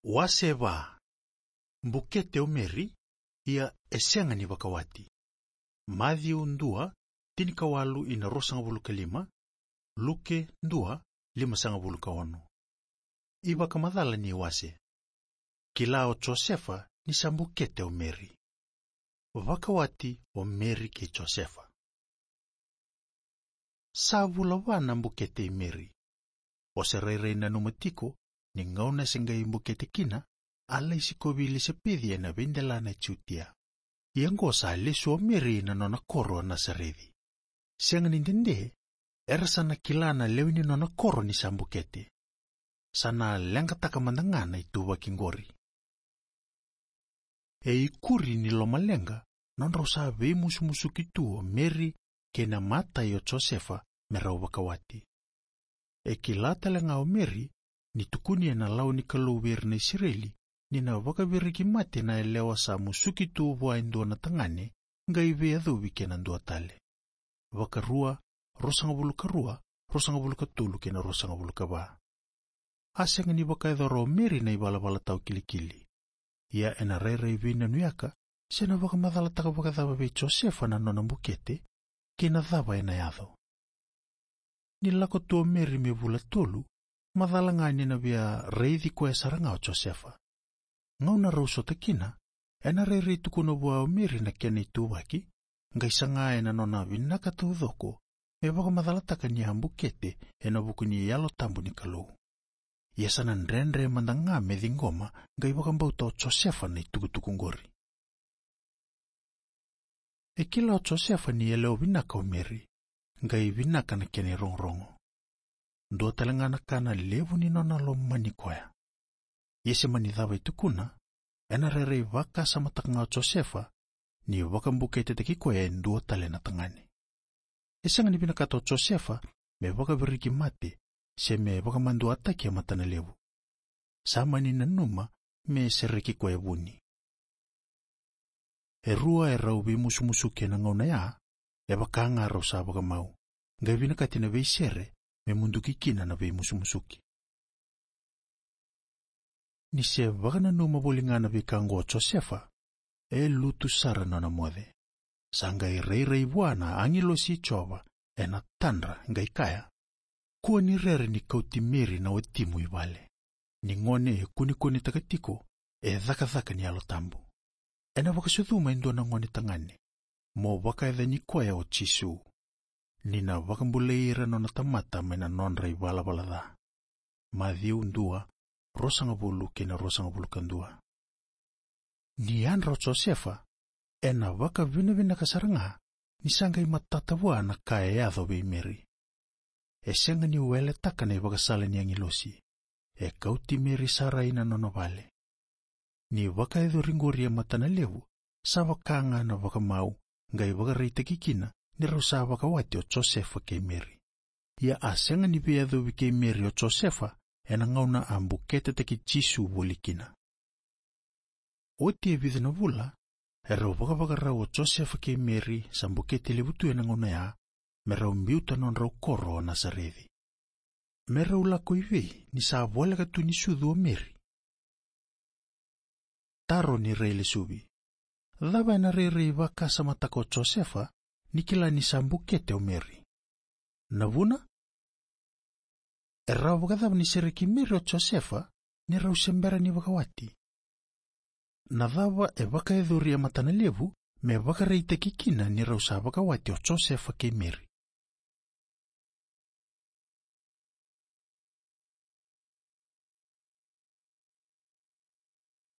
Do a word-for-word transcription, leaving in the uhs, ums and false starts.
Wase va. Bukete o Meri, ia e sega ni vakawati. Maciu dua, tinikawalu ina ruasagavulu ka lima, Luke dua, limasagavulu ka ono. iVakamacala ni wase. Kila o Josefa ni sa bukete o Meri. Vakawati o Meri kei Josefa. Sa vula va na bukete i Meri. O se rairai nanuma tiko ni gauna se qai bukete kina, a lai sikovi Ilisapeci ena veidelana e Jutia. Ia qo sa lesu o Meri na nona koro o Nasareci. Sega ni dede, era sa na kila na lewe ni nona koro ni sa bukete. Sa na leqataka mada ga na ituvaki qori. E ikuri ni lomaleqa, nodrau sa veimusumusuki tu o Meri kei na matai o Josefa me rau vakawati. E kila tale ga o Meri ni tukuni ena lawa ni Kalou vei ira na Isireli, ni na vakaviriki mate na yalewa sa musuki tu vua e dua na tagane, qai veiyacovi kei na dua tale. Vakarua, ruasagavulu ka rua, ruasagavulu ka tolu kei na ruasagavulu ka va. A sega ni vakayacora o Meri na ivalavala tau kilikili. Ia ena rairai veinanuyaka, se na vakamacalataka vakacava vei Josefa na nona bukete, kei na cava ena yaco. Ni lako tu o Meri me vula tolu, macala ga ni na via raici koya sara ga o Josefa. Gauna rau sota kina, ena rairai tukuna vua o Meri na kena ituvaki, qai saga ena nona vinaka taucoko, me vakamacalataka ni a bukete ena vuku ni Yalo Tabu ni Kalou. Ia sa na dredre mada ga me ciqoma, qai vakabauta o Josefa na itukutuku qori. E kila o Josefa ni yalewa vinaka o Meri, qai vinaka na kena irogorogo. Dua tale ga na ka na levu ni nona lomani koya. Ia se mani cava e tukuna, ena rairai vakasamataka ga o Josefa, ni vakabuketetaki koya e dua tale na tagane. E sega ni vinakata o Josefa me vakaviriki mate, se me vakamaduataki e matanalevu. Sa mani nanuma me sereki koya vuni. E rua e rau veimusumusuki ena gauna ya, e vaka ga rau sa vakamau, qai vinakati na veisere me muduki kina na veimusumusuki. Ni se vakananuma voli ga na veika oqo o Josefa, e lutu sara nona moce. Sa qai rairai vua na agilosi i Jiova ena tadra, qai kaya: Kua ni rere ni kauti Meri na watimu i vale. Ni gone e kunekunetaka tiko e cakacaka ni Yalo Tabu. Ena vakasucuma e dua na gone tagane, mo vakayacani koya o Jisu, ni na vakabulai ira nona tamata mai na nodra ivalavala ca. Maciu dua, ruasagavulu kei na ruasagavulu ka dua. Ni yadra o Josefa, ena vakavinavinaka sara ga ni sa qai matata vua na ka e yaco vei Meri. E sega ni weletaka na ivakasala ni agilosi. E kauti Meri sara ina nona vale. Ni vakayacori qori e matanalevu, sa vaka ga na vakamau, qai vakaraitaki kina ni rau sa vakawati o Josefa kei Meri. Ia a sega ni veiyacovi kei Meri o Josefa ena gauna a buketetaki Jisu voli kina. Oti e vica na vula, e rau vakavakarau o Josefa kei Meri, sa bukete levu tu ena gauna ya, me rau biuta nodrau koro o Nasareci. Me rau lako i vei ni sa voleka tu ni sucu o Meri? Taro ni railesuvi. Cava ena rairai vakasamataka o Josefa ni kila ni sa bukete o Meri? Na vuna? E rawa vakacava ni sereki Meri o Josefa ni rau se bera ni vakawati? Na cava e vakayacori e matanalevu me vakaraitaki kina ni rau sa vakawati o Josefa kei Meri?